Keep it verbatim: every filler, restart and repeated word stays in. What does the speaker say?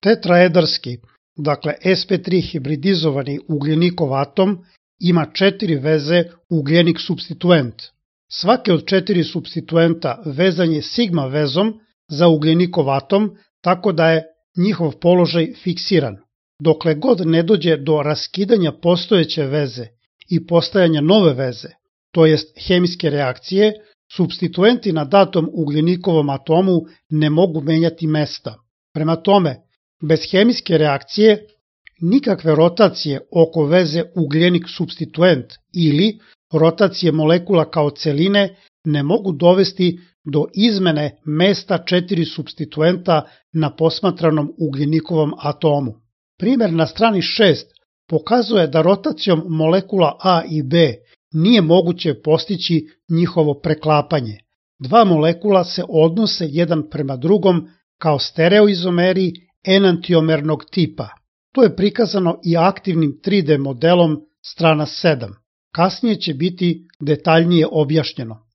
Tetraedarski, dakle es pe tri hibridizovani ugljenikov atom, ima četiri veze ugljenik supstituent. Svaki od četiri supstituenta vezan je sigma vezom za ugljenikov atom, tako da je njihov položaj fiksiran. Dokle god ne dođe do raskidanja postojeće veze i postajanja nove veze, to jest hemijske reakcije, supstituenti na datom ugljenikovom atomu ne mogu menjati mesta. Prema tome, bez hemijske reakcije, nikakve rotacije oko veze ugljenik supstituent ili rotacije molekula kao celine ne mogu dovesti do izmene mesta četiri supstituenta na posmatranom ugljenikovom atomu. Primjer na strani šest pokazuje da rotacijom molekula A i B nije moguće postići njihovo preklapanje. Dva molekula se odnose jedan prema drugom kao stereoizomeri enantiomernog tipa. To je prikazano i aktivnim tri de modelom strana sedam. Kasnije će biti detaljnije objašnjeno.